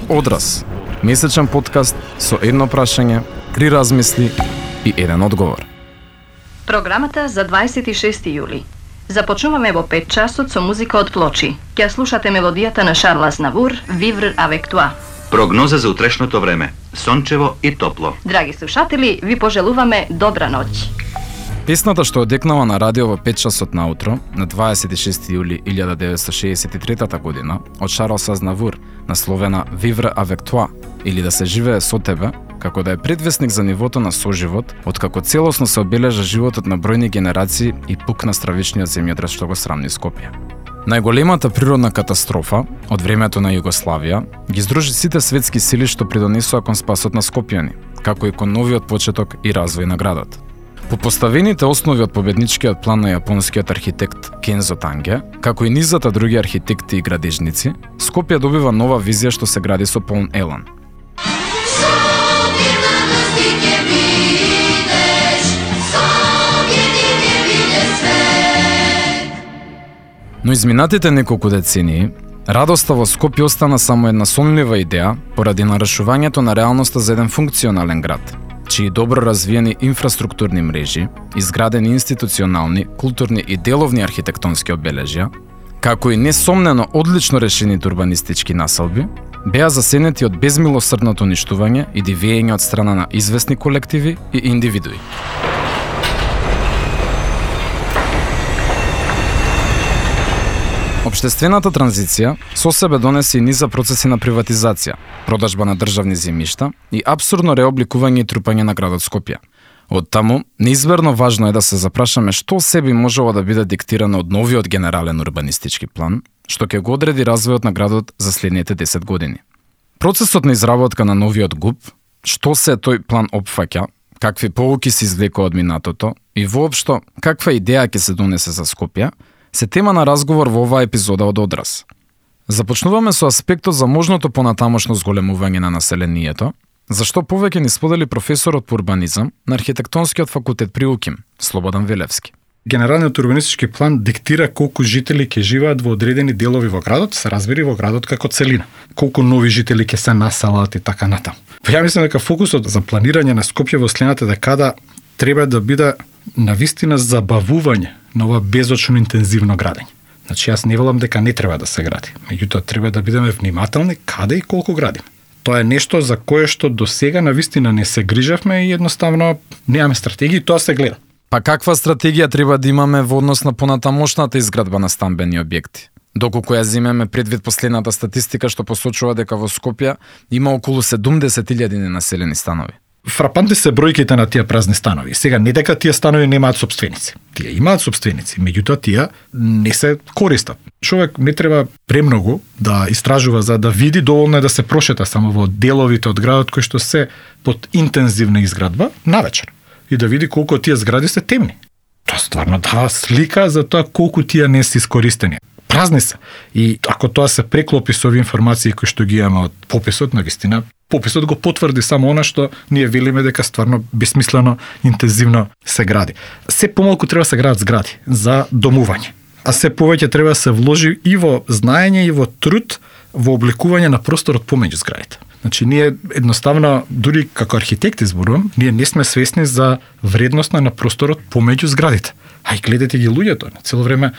Одраз, месечен подкаст со едно прашање, 3 размисли и еден одговор. Програмата за 26 јули. Започнуваме во 5 часот со музика од Плочи. Ќе слушате мелодијата на Шарл Азнавур, Vivre avec toi. Прогноза за утрешното време. Сончево и топло. Драги слушатели, ви пожелуваме добра ноќ. Песната што одекнава на радио во 5 часот наутро, на 26 јули 1963 година, од Шарл Азнавур, насловена Vivre avec toi, или да се живее со тебе, како да е предвесник за нивото на соживот, откако целосно се обележа животот на бројни генерации и пукна стравичниот земјотрес што го срамни Скопје. Најголемата природна катастрофа од времето на Југославија ги здружи сите светски сили што придонесоа кон спасот на скопјани, како и кон новиот почеток и развој на градот. По поставените основи од победничкиот план на јапонскиот архитект Кензо Танге, како и низата други архитекти и градежници, Скопје добива нова визија што се гради со полн елан. Но изминатите неколку децении, радоста во Скопје остана само една сонлива идеја поради нарушувањето на реалноста за еден функционален град, чии добро развиени инфраструктурни мрежи, изградени институционални, културни и деловни архитектонски обележја, како и несомнено одлично решените урбанистички населби, беа засенети од безмилосрдното уништување и дивење од страна на известни колективи и индивидуи. Обштествената транзиција со себе донесе и низа процеси на приватизација, продажба на државни земјишта и апсурдно реобликување и трупање на градот Скопје. Од таму, неизберно важно е да се запрашаме што себе можело да биде диктирано од новиот генерален урбанистички план, што ќе го одреди развојот на градот за следните 10 години. Процесот на изработка на новиот ГУП, што се тој план опфаќа, какви поуки се извлекува од минатото и воопшто каква идеја ќе се донесе за Скопје, се тема на разговор во оваа епизода од Одраз. Започнуваме со аспектот за можното понатамошно зголемување на населението, зашто повеќе ни сподели професорот по урбанизам на архитектонскиот факултет при УКИМ, Слободан Велевски. Генералниот урбанистички план диктира колку жители ќе живеат во одредени делови во градот, се разбери во градот како целина. Колку нови жители ќе се населат и така натаму. Ја мислам дека фокусот за планирање на Скопје во следната декада треба да биде навистина забавување на ова безочно интензивно градење. Значи, јас не велам дека не треба да се гради. Меѓутоа, треба да бидеме внимателни каде и колку градиме. Тоа е нешто за кое што до сега навистина не се грижавме и едноставно немаме стратегија и тоа се гледа. Па каква стратегија треба да имаме во однос на понатамошната изградба на стамбени објекти? Доколку ја земеме предвид последната статистика што посочува дека во Скопје има околу 70.000 ненаселени станови. Фрапантни се бројките на тие празни станови. Сега не дека тие станови немаат сопственици. Тие имаат сопственици, меѓутоа тие не се користат. Човек не треба премногу да истражува за да види, доволно е да се прошета само во деловите од градот кои што се под интензивна изградба навечер и да види колку тие згради се темни. Тоа стварно дава слика за тоа колку тие не се искористени. Празни се. И ако тоа се преклопи со овие информации кои што ги имаме од пописот, навистина, пописот го потврди само она што ние велиме дека стварно бесмислено, интензивно се гради. Се помалку треба се градат згради за домување, а се повеќе треба да се вложи и во знаење и во труд во обликување на просторот помеѓу зградите. Значи, ние едноставно, дури како архитекти зборувам, ние не сме свесни за вредноста на просторот помеѓу зградите. А и гледате ги луѓето, цело време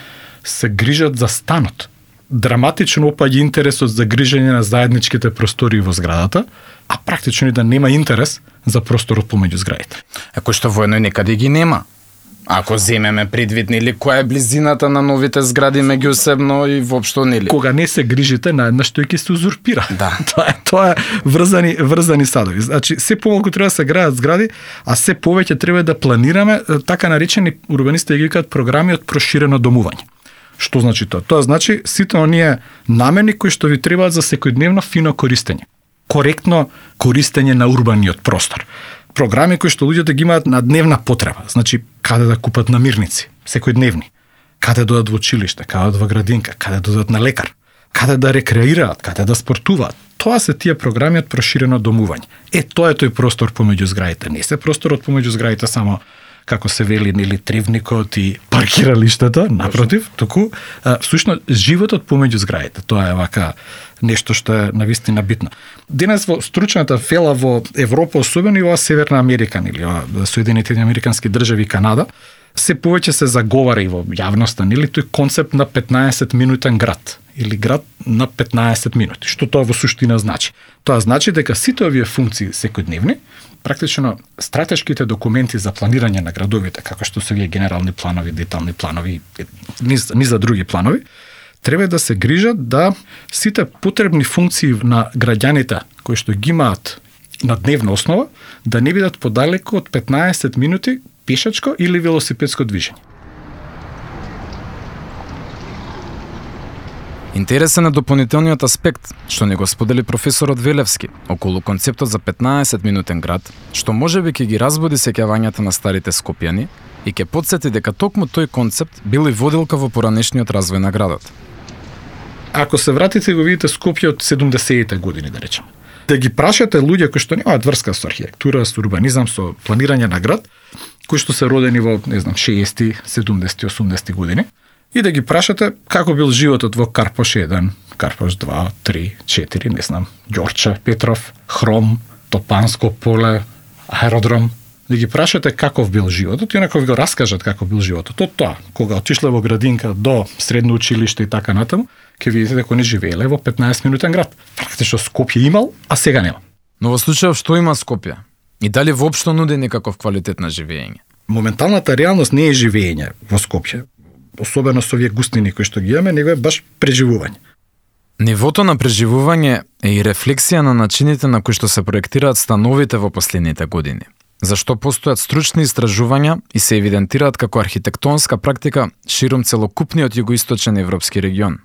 се грижат за станот. Драматично опаѓа интересот за грижење на заедничките простори во зградата, а практично и да нема интерес за просторот помеѓу зградите. Ако што воено некаде ги нема. Ако земеме предвид, нели, која е близината на новите згради меѓусебно и воопшто, нели? Кога не се грижите, наеднаш тој ќе се узурпира. Да. Тоа е врзани садови. Значи, се помалку треба да се градат згради, а се повеќе треба да планираме така наречени урбанисти ги кажат програми од проширено домување. Што значи тоа? Тоа значи сите оние намени кои што ви требаат за секојдневно фино користење. Коректно користење на урбаниот простор. Програми кои што луѓето ги имаат на дневна потреба. Значи, каде да купат намирници, секојдневни. Каде да одат во училиште, каде да одат во градинка, каде да одат на лекар. Каде да рекреираат, каде да спортуваат. Тоа се тие програми од проширено домување. Тоа е тој простор помеѓу зградите. Не се просторот помеѓу зградите само како се вели нели тревникот и паркиралиштата, напротив, туку всушност животот помеѓу зградите. Тоа е вака нешто што е навистина битно. Денес во стручната фела во Европа, особено и во Северна Америка или во Соединетите американски држави и Канада, се повеќе се заговара и во јавноста, нели тој концепт на 15-минутен град или град на 15 минути. Што тоа во суштина значи? Тоа значи дека сите овие функции секојдневни, практично стратешките документи за планирање на градовите, како што се овие генерални планови, детални планови, низ за други планови, треба да се грижат да сите потребни функции на граѓаните кои што ги имаат на дневна основа, да не бидат подалеку од 15 минути пешачко или велосипедско движење. Интересен е дополнителниот аспект, што не го сподели професорот Велевски, околу концептот за 15-минутен град, што можеби ќе ги разбуди сеќавањата на старите скопјани и ќе потсети дека токму тој концепт бил и водилка во поранешниот развој на градот. Ако се вратите го видите Скопје од 70-те години, да речем, да ги прашате луѓе кои што немаат врска со архитектура, со урбанизам, со планирање на град, кои што се родени во, 60-ти, 70-ти, 80-ти години, и да ги прашате како бил животот во Карпош 1, Карпош 2, 3, 4, Ѓорче, Петров, Хром, Топанско поле, аеродром, да ги прашате каков бил животот и онако ви го раскажат како бил животот. Од тоа, кога отишле во градинка до средно училиште и така натаму, ќе видите дека они живееле во 15-минутен град. Практично Скопје имал, а сега нема. Но во случајов што има Скопје? И дали воопшто нуди некаков квалитет на живење? Моменталната реалност не е живење во Скопје, особено со овие густини кои што ги имаме, него е баш преживување. Нивото на преживување е и рефлексија на начините на кои што се проектираат становите во последните години. Зашто постојат стручни истражувања и се евидентираат како архитектонска практика широм целокупниот југоисточен европски регион.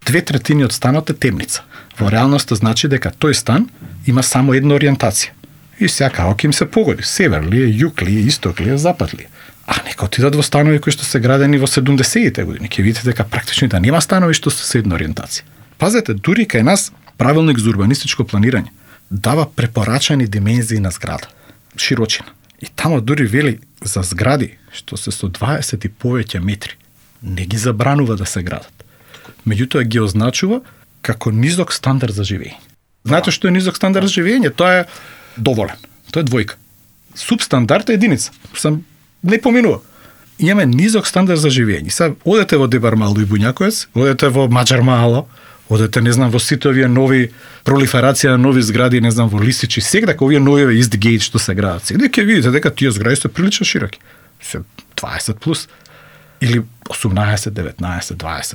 2/3 од станот е темница. Во реалноста значи дека тој стан има само една ориентација. И сега ќе им се погоди, север ли е, југ ли е, исток ли е, запад ли е. А нека отидат во станови кои што се градени во 70-те години, ќе видите дека практично да нема станови што се една ориентација. Пазете, дури кај нас правилник за урбанистичко планирање дава препорачани димензии на зграда, широчина. И тамо дури вели за згради што се со 20 и повеќе метри не ги забранува да се градат. Меѓутоа ги означува како низок стандард за живење. Знаете што е низок стандард за живење? Тоа е доволен. Тоа е двојка. Субстандард е единица. Сам не поминува. Имаме низок стандард за живење. Сега одете во Дебармало и Буњаковец, одете во Маџармало, одете во сите овие нови пролиферација на нови згради, во Лисичи, сега овие нови Истгейт што се градат. Сега ќе видите дека тие згради се прилично широки. Се 20 плюс или 18, 19, 20,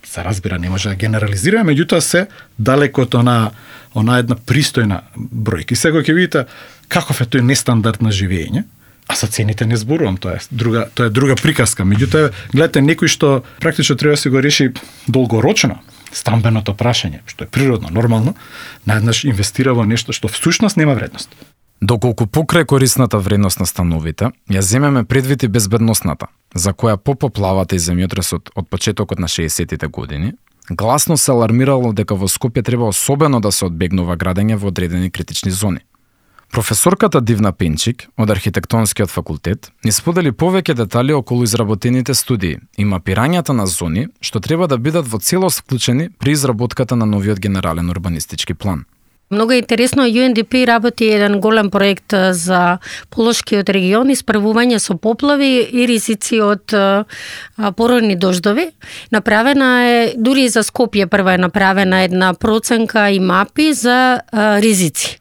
се разбира, не може да генерализираме, меѓутоа се далеко од она една пристојна бројка. И сега ќе видите каков е тој нестандард на живење, а за цените не зборувам, тоа е друга приказка. Меѓутоа, гледате некој што практично треба да се го реши долгорочно стамбеното прашање, што е природно, нормално, наеднаш инвестира во нешто што всушност нема вредност. Доколку покрај корисната вредност на становите, ја земеме предвид и безбедносната, за која по поплавата и земјотресот од почетокот на 60-тите години, гласно се алармирало дека во Скопје треба особено да се одбегнува градење во одредени критични зони. Професорката Дивна Пенчик од архитектонскиот факултет ни сподели повеќе детали околу изработените студии и мапирањата на зони што треба да бидат во целост вклучени при изработката на новиот генерален урбанистички план. Много интересно, UNDP работи еден голем проект за Полошкиот регион, исправување со поплави и ризици од породни дождови. Направена е, дури и за Скопје прва е направена една проценка и мапи за ризици.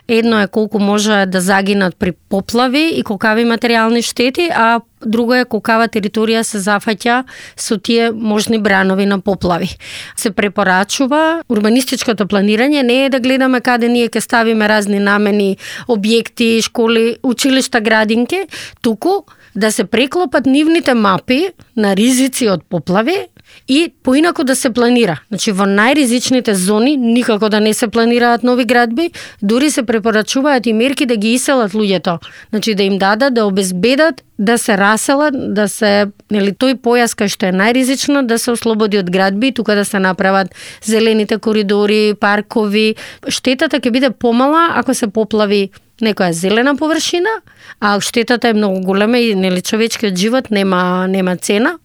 Едно е колку може да загинат при поплави и колкави материјални штети, а друго е колкава територија се зафаќа со тие можни бранови на поплави. Се препорачува урбанистичкото планирање не е да гледаме каде ние ќе ставиме разни намени, објекти, школи, училишта, градинки, туку да се преклопат нивните мапи на ризици од поплави и поинаку да се планира. Значи, во најризичните зони никако да не се планираат нови градби, дури се препорачуваат и мерки да ги иселат луѓето. Значи, да им дадат, да обезбедат, да се раселат, да се, тој појас кај што е најризично, да се ослободи од градби, тука да се направат зелените коридори, паркови. Штетата ќе биде помала ако се поплави некоја зелена површина, а штетата е многу голема и нели човечкиот живот нема цена.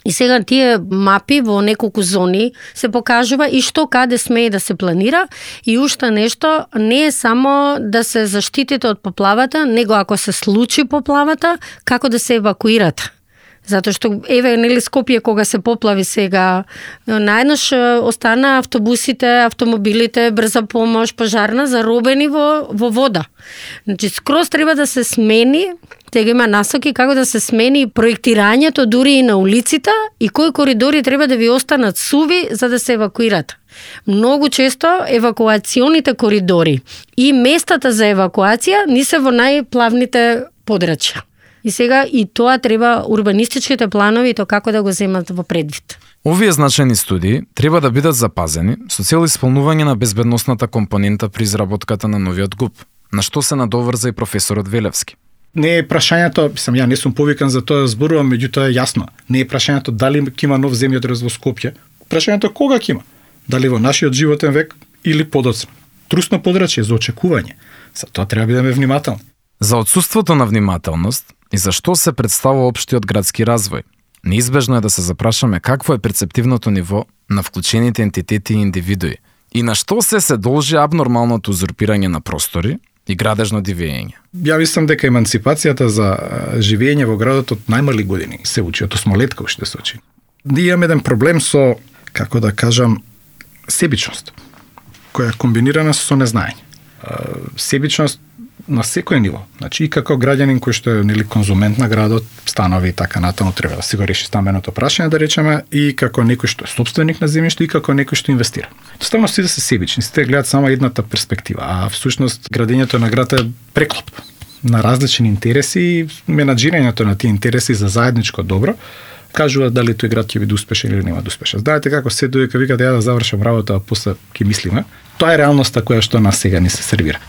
И сега тие мапи во неколку зони се покажува и што каде смее да се планира и уште нешто, не е само да се заштитите од поплавата, него ако се случи поплавата, како да се евакуирате. Затоа што еве нели Скопје кога се поплави сега, наеднаш остана автобусите, автомобилите, брза помош, пожарна заробени во вода. Значи скроз треба да се смени, тега има насоки како да се смени проектирањето дури и на улиците и кои коридори треба да ви останат суви за да се евакуирате. Многу често евакуационите коридори и местата за евакуација не се во најплавните подрачја. И сега и тоа треба урбанистичките планови то како да го земат во предвид. Овие значајни студии треба да бидат запазени со цел исполнување на безбедносната компонента при изработката на новиот ГУП, на што се надоврза и професорот Велевски. Не е прашањето, ја не сум повикан за тоа зборувам, меѓутоа е јасно. Не е прашањето дали ќе има нов земјотрес во Скопје, прашањето кога ќе има. Дали во нашиот животен век или подоцна. Трусно подрачје за очекување. За тоа треба да бидеме внимателни. За отсуството на внимателност и за што се представува општиот градски развој, неизбежно е да се запрашаме какво е перцептивното ниво на вклучените ентитети и индивидуи и на што се должи абнормалното узурпирање на простори и градежно дивење. Ја мислам дека емансипацијата за живење во градот од најмали години се учи, од осмолетка уште се учи. Ние имаме еден проблем со, како да кажам, себичност, која е комбинирана со незнаење. Себичност на секој ниво. Значи и како граѓанин кој што е нели конзумент на градот, станови и така натаму треба да си го реши стамбеното прашање, да речеме, и како некој што е сопственик на земјиште и како некој што инвестира. Доставно сите се себични, сите гледаат само едната перспектива, а всушност градењето на град е преклоп на различни интереси и менаџирањето на тие интереси за заедничко добро кажува дали тој град ќе биде успешен или нема да успешен. Знаете како се доека вика да ја да завршам работа, а после ќе мислиме. Тоа е реалноста која што нас сега ни се сервира.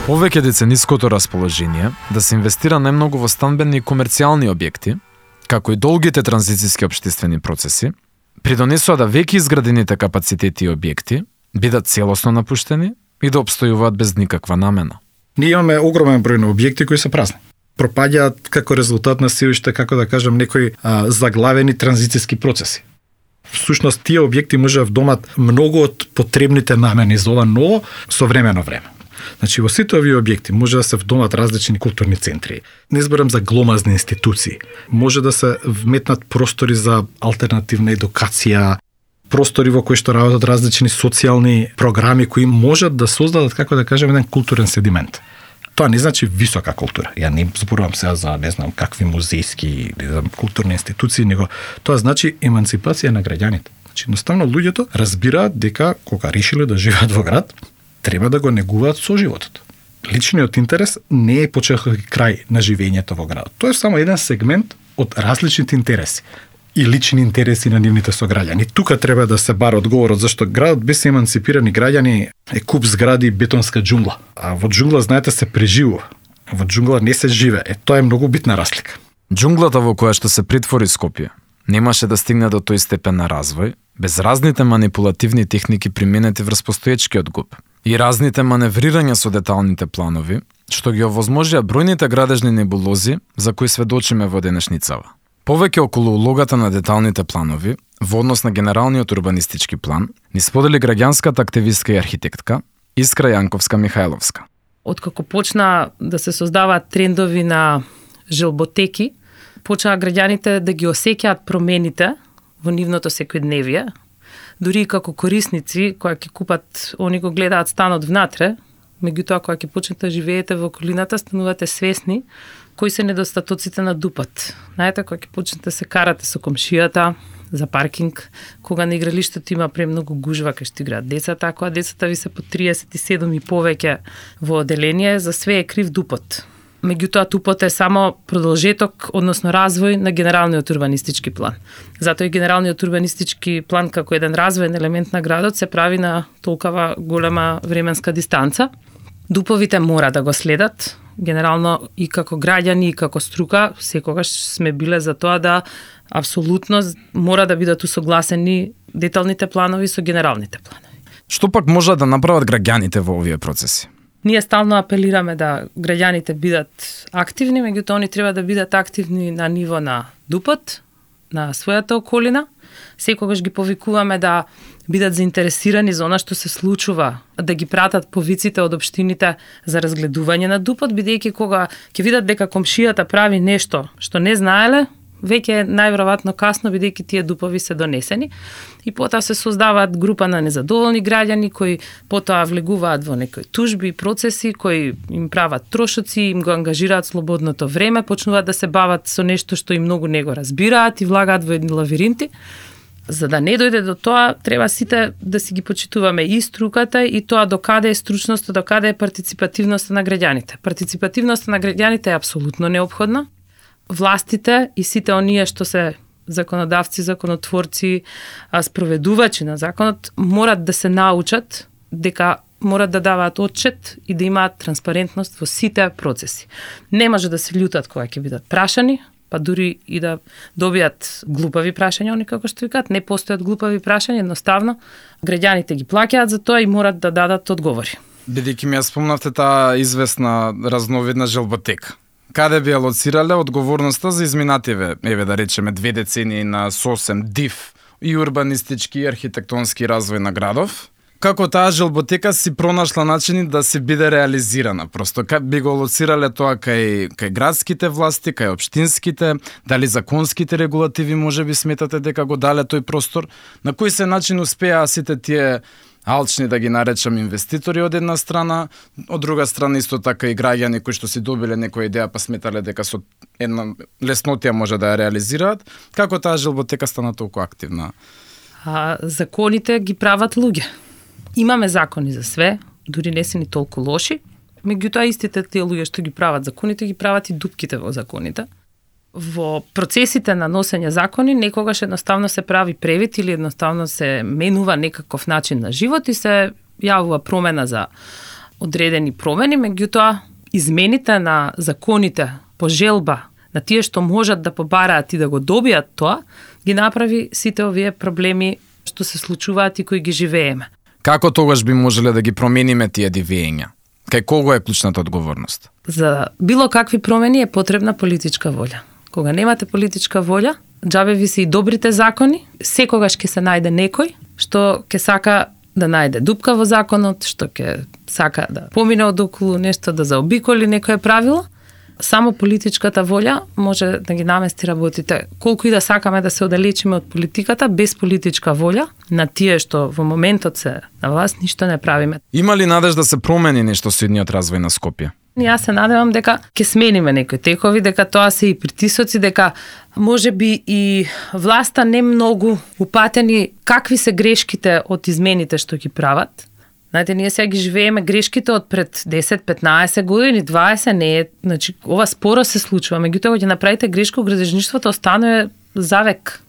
Повеќе децениското расположение да се инвестира најмногу во станбени и комерцијални објекти, како и долгите транзицијски општествени процеси, придонесува да веќе изградените капацитети и објекти бидат целосно напуштени и да обстојуваат без никаква намена. Ние имаме огромен број на објекти кои се празни. Пропаѓаат како резултат на се уште, како да кажам, некои заглавени транзицијски процеси. Всушност, тие објекти може да вдомат многу од потребните намени за ова ново современо време. Значи, во сите овие објекти може да се вдомат различни културни центри. Не зборам за гломазни институции. Може да се вметнат простори за алтернативна едукација, простори во кои што работат различни социјални програми кои можат да создадат, како да кажем, еден културен седимент. Тоа не значи висока култура. Ја не зборувам сега за не знам какви музејски или за културни институции, него тоа значи емансипација на граѓаните. Значи, едноставно луѓето разбираат дека кога решиле да живеат во град, треба да го негуваат соживотот. Личниот интерес не е почеток и крај на живењето во градот. Тоа е само еден сегмент од различните интереси и лични интереси на нивните сограѓани. Тука треба да се бара одговорот зашто градот без емансипирани граѓани е куп згради и бетонска џунгла. А во џунгла, знаете, се преживува. Во џунгла не се живе. Тоа е многу битна разлика. Џунглата во која што се притвори Скопје немаше да стигне до тој степен на развој без разните манипулативни техники применети врз постоечкиот ГУП и разните маневрирања со деталните планови, што ги овозможија бројните градежни небулози за кои сведочиме во денешницава. Повеќе околу улогата на деталните планови во однос на генералниот урбанистички план ни сподели граѓанската активистка и архитектка Искра Јанковска-Михајловска. Откако почна да се создаваат трендови на желботеки, почнаа граѓаните да ги осеќаат промените во нивното секојдневие. Дури и како корисници, кои ќе купат, они го гледаат станот внатре, меѓутоа кога ќе почнете да живеете во околината, станувате свесни кои се недостатоците на ДУП-от. Знаете, кога ќе почнете се карате со комшијата за паркинг, кога на игралиштето има премногу гужва кај што играат децата, кога децата ви се по 37 и повеќе во оделение, за све е крив ДУП-от. Меѓутоа, ТУП-от е само продолжеток, односно развој на генералниот урбанистички план. Затоа и генералниот урбанистички план како еден развојен елемент на градот се прави на толкова голема временска дистанца. ДУП-овите мора да го следат генерално и како граѓани и како струка, секогаш сме биле за тоа да апсолутно мора да бидат усогласени деталните планови со генералните планови. Што пак можат да направат граѓаните во овие процеси? Ние стално апелираме да граѓаните бидат активни, меѓутоа они треба да бидат активни на ниво на ДУП-от, на својата околина. Секогаш ги повикуваме да бидат заинтересирани за она што се случува, да ги пратат повиците од општините за разгледување на ДУП-от, бидејќи кога ќе видат дека комшијата прави нешто што не знаеле, веќе е најверојатно касно, бидејќи тие ДУП-ови се донесени и потоа се создаваат група на незадоволни граѓани кои потоа влегуваат во некои тужби и процеси кои им прават трошоци, им го ангажираат слободното време, почнуваат да се бават со нешто што и многу не го разбираат и влагаат во едни лавиринти. За да не дојде до тоа, треба сите да си ги почитуваме и струката и тоа докаде е стручноста, докаде е партиципативноста на граѓаните. Партиципативноста на граѓаните е апсолутно неопходна. Властите и сите оние што се законодавци, законотворци, спроведувачи на законот морат да се научат дека морат да даваат отчет и да имаат транспарентност во сите процеси. Не може да се љутат кога ќе бидат прашани, па дури и да добијат глупави прашања, они како што викаат, не постојат глупави прашања, едноставно граѓаните ги плаќаат за тоа и морат да дадат одговори. Бидејќи ми ја спомнавте таа известна разновидна желботека. Каде би алоцирале одговорноста за изминативе, да речеме, 2 децении на сосем див и урбанистички и архитектонски развој на градов? Како таа желботека си пронашла начини да се биде реализирана? Просто би го алоцирале тоа кај градските власти, кај општинските, дали законските регулативи можеби сметате дека го дале тој простор? На кој се начин успеа сите тие алчни, да ги наречам, инвеститори од една страна, од друга страна исто така и граѓани кои што си добиле некоја идеја па сметале дека со една леснотија може да ја реализираат? Како таа желботека стана толку активна? Законите ги прават луѓе. Имаме закони за све, дури не се ни толку лоши, меѓутоа истите тие луѓе што ги прават законите, ги прават и дупките во законите. Во процесите на носење закони некогаш едноставно се прави превид или едноставно се менува некаков начин на живот и се јавува промена за одредени промени, меѓутоа измените на законите по желба на тие што можат да побараат и да го добијат тоа, ги направи сите овие проблеми што се случуваат и кои ги живееме. Како тогаш би можеле да ги промениме тие дивења? Кај кого е клучната одговорност? За било какви промени е потребна политичка волја. Кога немате политичка волја, џабе ви се и добрите закони, секогаш ќе се најде некој што ќе сака да најде дупка во законот, што ќе сака да помине од околу нешто, да заобиколи некое правило. Само политичката волја може да ги намести работите. Колку и да сакаме да се оддалечиме од политиката, без политичка волја, на тие што во моментот се на власт, ништо не правиме. Има ли надеж да се промени нешто со идниот развој на Скопје? Јас се надевам дека ќе смениме некои текови, дека тоа се и притисоци, дека може би и власта не многу упатени какви се грешките од измените што ги прават. Знаете, ние сега ги живееме грешките од пред 10-15 години, 20, не е, значи, ова споро се случува, меѓутоа кога ќе направите грешка, градежништвото останува завек.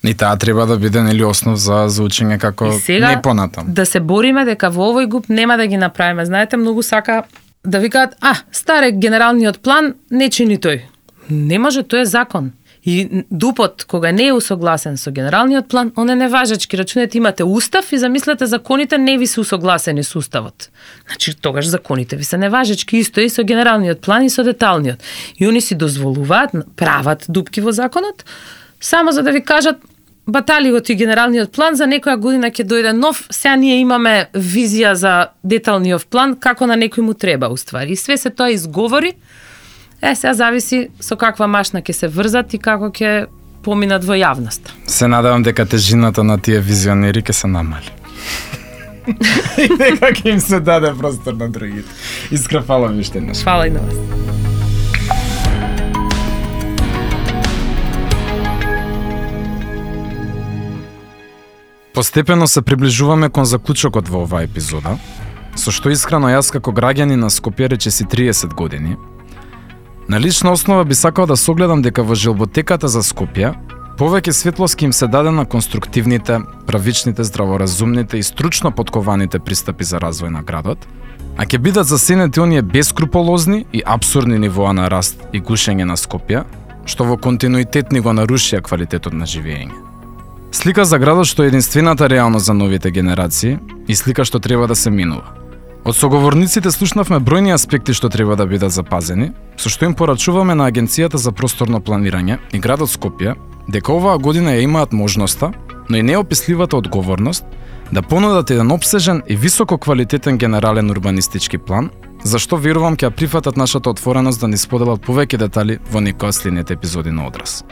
И таа треба да биде нели основ за учење како не понатам. Да се бориме дека во овој ГУП нема да ги направиме. Знаете, многу сака да викаат, старе генералниот план не чини тој. Не може, тој е закон. И ДУП-от, кога не е усогласен со генералниот план, он е неважечки. Рачунете, имате устав и замислете законите не ви се усогласени со уставот. Значи, тогаш законите ви се неважечки, исто и со генералниот план и со деталниот. И они си дозволуваат, прават дупки во законот, само за да ви кажат, батали го ти генералниот план, за некоја година ќе дојде нов, сега ние имаме визија за деталниот план, како на некој му треба, уствари. И све се тоа изговори. Сега зависи со каква машна ќе се врзат и како ќе поминат во јавноста. Се надевам дека тежината на тие визионери ќе се намали. И дека ќе им се даде простор на другите. Искра, фала ви уште еднаш. Фала и на вас. Постепено се приближуваме кон заклучокот во оваа епизода, со што искрено јас како граѓанин на Скопје речиси 30 години, на лична основа би сакал да согледам дека во желботеката за Скопје повеќе светлост им се даде на конструктивните, правичните, здраворазумните и стручно подкованите пристапи за развој на градот, а ќе бидат засенети оние бескруполозни и абсурдни нивоа на раст и гушење на Скопје, што во континуитет ни го нарушија квалитетот на живење. Слика за градот што е единствената реалност за новите генерации и слика што треба да се минува. Од соговорниците слушнавме бројни аспекти што треба да бидат запазени, со што им порачуваме на Агенцијата за просторно планирање и градот Скопје дека оваа година ја имаат можноста, но и неописливата одговорност да понудат еден опсежен и високо квалитетен генерален урбанистички план, за што верувам ќе ја прифатат нашата отвореност да ни споделат повеќе детали во некоја следните епизоди на Одраз.